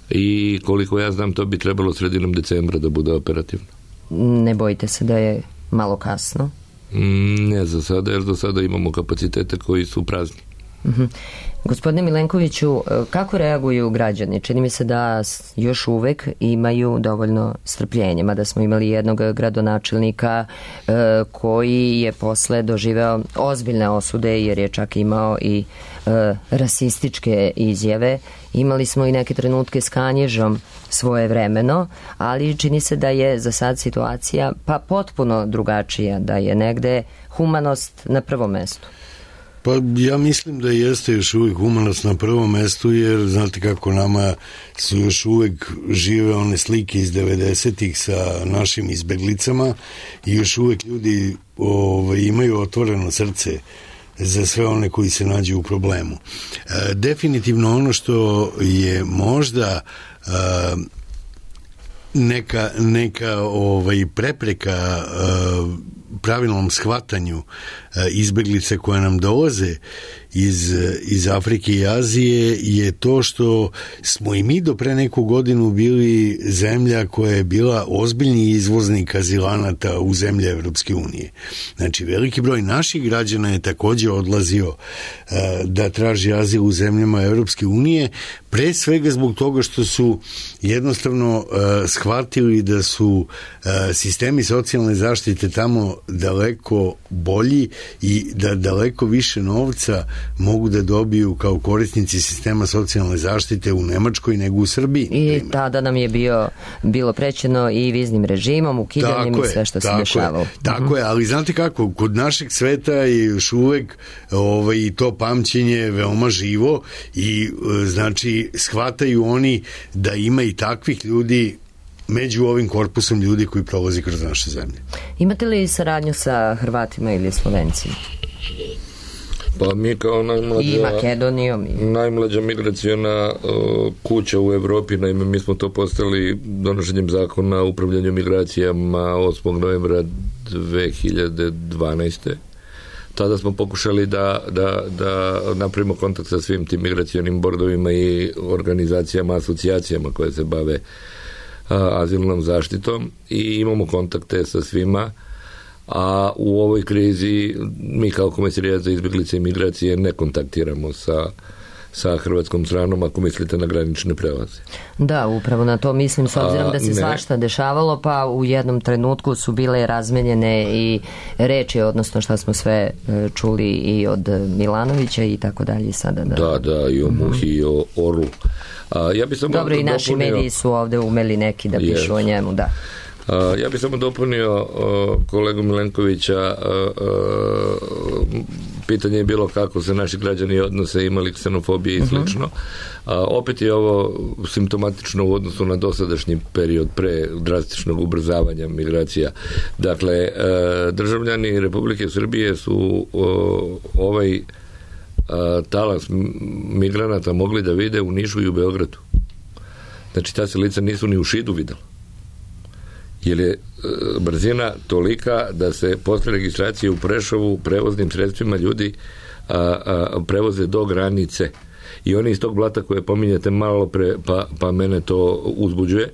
S6: i koliko ja znam to bi trebalo sredinom decembra da bude operativno.
S2: Ne bojite se da je malo kasno?
S6: Ne za sada, jer do sada imamo kapacitete koji su prazni.
S2: Gospodine Milenkoviću, kako reaguju građani? Čini mi se da još uvek imaju dovoljno strpljenja, mada smo imali jednog gradonačelnika koji je posle doživeo ozbiljne osude jer je čak imao i rasističke izjave. Imali smo i neke trenutke s Kanjižom svojevremeno, ali čini se da je za sad situacija pa potpuno drugačija, da je negde humanost na prvom mestu.
S7: Pa ja mislim da jeste još uvijek humanost na prvom mestu, jer znate kako nama su još uvijek žive one slike iz 90-ih sa našim izbeglicama i još uvijek ljudi imaju otvoreno srce za sve one koji se nađu u problemu. Definitivno ono što je možda neka prepreka pravilnom shvatanju izbeglice koje nam dolaze iz Afrike i Azije je to što smo i mi do pre neku godinu bili zemlja koja je bila ozbiljni izvoznik azilanata u zemlje Evropske unije. Znači, veliki broj naših građana je također odlazio da traži azil u zemljama Evropske unije, pre svega zbog toga što su jednostavno shvatili da su sistemi socijalne zaštite tamo daleko bolji i da daleko više novca mogu da dobiju kao korisnici sistema socijalne zaštite u Nemačkoj nego u Srbiji.
S2: I tada nam je bilo prećeno i viznim režimom, ukidanjem i sve što se dešavalo.
S7: Tako je, ali znate kako, kod našeg sveta je još uvek to pamćenje veoma živo i znači shvataju oni da ima i takvih ljudi među ovim korpusom ljudi koji prolazi kroz naše zemlje.
S2: Imate li saradnju sa Hrvatima ili Slovencima?
S6: Pa mi kao najmlađa migraciona kuća u Evropi, naime mi smo to postali donošenjem zakona o upravljanju migracijama 8. novembra 2012. Tada smo pokušali da napravimo kontakt sa svim tim migracionim bordovima i organizacijama, asocijacijama koje se bave azilnom zaštitom i imamo kontakte sa svima, a u ovoj krizi mi kao Komesarijat za izbjeglice i migracije ne kontaktiramo sa hrvatskom stranom, ako mislite na granične prelaze.
S2: Da, upravo na to mislim, s obzirom da se svašta dešavalo, pa u jednom trenutku su bile razmenjene i reči, odnosno šta smo sve čuli i od Milanovića i tako dalje sada.
S6: Da, i o Muhi i o Orlu. Ja bi samo
S2: dobro, i naši mediji su ovde umeli neki da pišu o njemu, da.
S6: Ja bih samo dopunio kolegu Milenkovića, pitanje je bilo kako se naši građani odnose, imali ksenofobije i slično. Opet je ovo simptomatično u odnosu na dosadašnji period pre drastičnog ubrzavanja migracija. Dakle, državljani Republike Srbije su ovaj talas migranata mogli da vide u Nišu i u Beogradu. Znači, ta se lica nisu ni u Šidu videla. jer je brzina tolika da se posle registracije u Prešovu prevoznim sredstvima ljudi prevoze do granice. I oni iz tog blata koje pominjate malo pre, pa mene to uzbuđuje,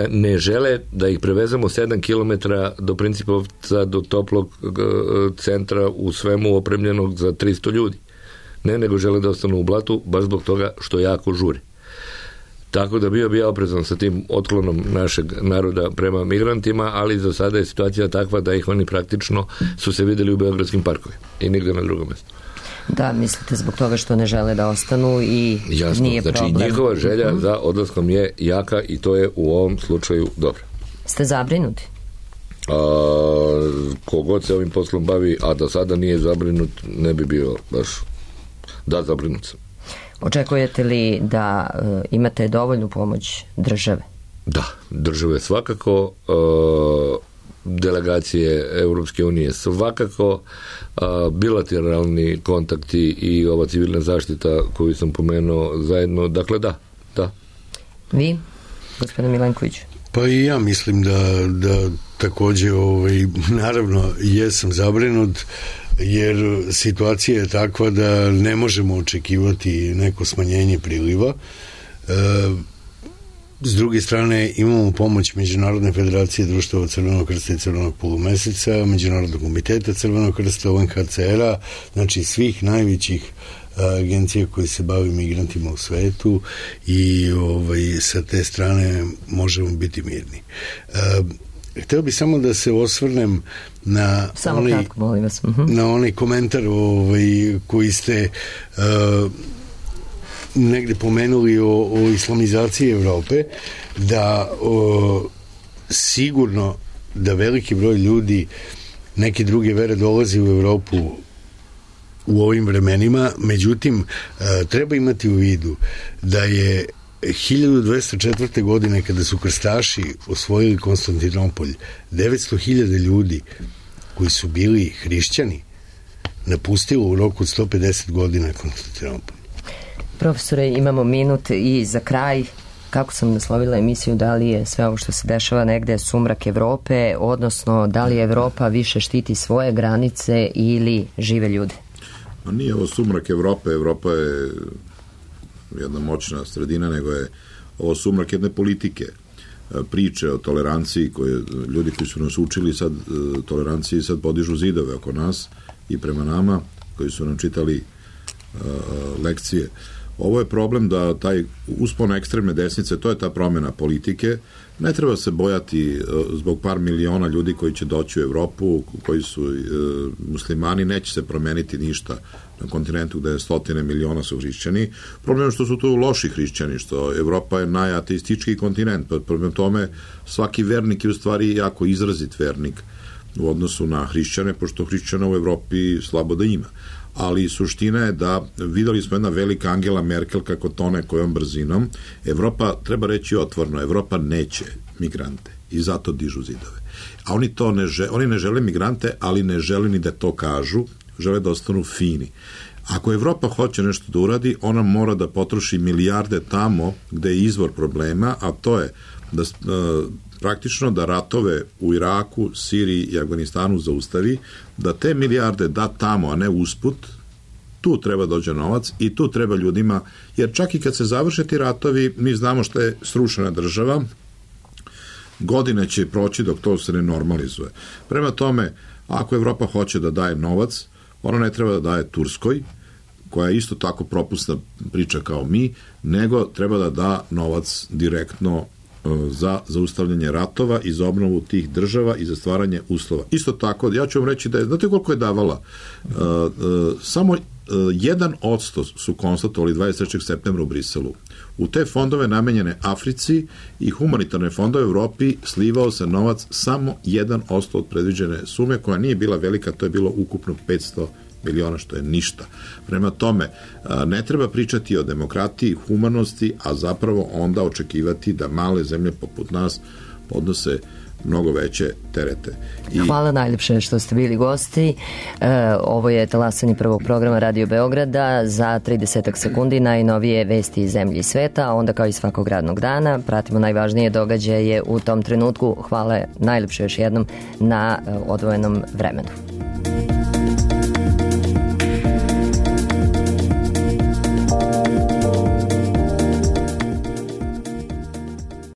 S6: ne žele da ih prevezemo 7 km do Principovca, do toplog centra u svemu opremljenog za 300 ljudi. Ne, nego žele da ostanu u blatu, baš zbog toga što jako žuri. Tako da bio bi ja oprezan sa tim otklonom našeg naroda prema migrantima, ali za sada je situacija takva da ih oni praktično su se videli u beogradskim parkovima i nigde na drugom mjestu.
S2: Da, mislite zbog toga što ne žele da ostanu i
S6: jasno,
S2: nije
S6: znači
S2: problem.
S6: Njihova želja za odlaskom je jaka i to je u ovom slučaju dobro.
S2: Ste zabrinuti?
S6: Kogod se ovim poslom bavi, a da sada nije zabrinut, ne bi bio baš zabrinut sam.
S2: Očekujete li da imate dovoljnu pomoć države?
S6: Da, države svakako, delegacije Europske unije svakako, bilateralni kontakti i ova civilna zaštita koju sam pomenuo zajedno, dakle da.
S2: Vi, gospodine Milenkoviću?
S7: Pa i ja mislim da takođe naravno jesam zabrinut, jer situacija je takva da ne možemo očekivati neko smanjenje priliva. S druge strane imamo pomoć Međunarodne federacije društava Crvenog krsta i Crvenog polumeseca, Međunarodnog komiteta Crvenog krsta, UNHCR-a, znači svih najvećih agencija koji se bavi migrantima u svetu i sa te strane možemo biti mirni. Hteo bih samo da se osvrnem na
S2: kratko, molim vas.
S7: Na onaj komentar koji ste negde pomenuli o islamizaciji Evrope, da sigurno da veliki broj ljudi neke druge vere dolazi u Evropu u ovim vremenima, međutim treba imati u vidu da je 1204. godine kada su krstaši osvojili Konstantinopolj, 900.000 ljudi koji su bili hrišćani napustilo u roku od 150 godina Konstantinopolj.
S2: Profesore, imamo minut i za kraj, kako sam naslovila emisiju, da li je sve ovo što se dešava negde sumrak Evrope, odnosno da li Evropa više štiti svoje granice ili žive ljude?
S8: Pa nije ovo sumrak Evrope, Evropa je jedna moćna sredina, nego je ovo sumrak jedne politike, priče o toleranciji koje ljudi koji su nas učili sad toleranciji sad podižu zidove oko nas i prema nama koji su nam čitali lekcije. Ovo je problem da taj uspon ekstremne desnice, to je ta promjena politike, ne treba se bojati zbog par miliona ljudi koji će doći u Evropu, koji su muslimani, neće se promeniti ništa na kontinentu gde je 100 miliona su hrišćani. Problem je što su tu loši hrišćani, što Evropa je najateistički kontinent, problem tome svaki vernik je u stvari jako izrazit vernik u odnosu na hrišćane, pošto hrišćana u Evropi slabo da ima. Ali suština je da videli smo jedna velika Angela Merkel kako tone kojom brzinom. Evropa, treba reći otvorno, Evropa neće migrante i zato dižu zidove. A oni to oni ne žele migrante, ali ne žele ni da to kažu, žele da ostanu fini. Ako Evropa hoće nešto da uradi, ona mora da potroši milijarde tamo gde je izvor problema, a to je da praktično da ratove u Iraku, Siriji i Afganistanu zaustavi, da te milijarde da tamo, a ne usput, tu treba dođe novac i tu treba ljudima, jer čak i kad se završe ti ratovi, mi znamo što je srušena država, godine će proći dok to se ne normalizuje. Prema tome, ako Evropa hoće da daje novac, ona ne treba da daje Turskoj, koja je isto tako propusna priča kao mi, nego treba da da novac direktno za zaustavljanje ratova i za obnovu tih država i za stvaranje uslova. Isto tako, ja ću vam reći da je, znate koliko je davala? Samo 1% su konstatovali 23. septembra u Briselu. U te fondove namenjene Africi i humanitarne fondove u Evropi slivao se novac samo 1% od predviđene sume, koja nije bila velika, to je bilo ukupno 500 miliona, što je ništa. Prema tome, ne treba pričati o demokratiji, humanosti, a zapravo onda očekivati da male zemlje poput nas podnose mnogo veće terete.
S2: Hvala najljepše što ste bili gosti. Ovo je talasanje prvog programa Radio Beograda. Za 30 sekundi najnovije vesti iz zemlje i sveta, a onda kao i svakog radnog dana pratimo najvažnije događaje u tom trenutku. Hvala najljepše još jednom na odvojenom vremenu.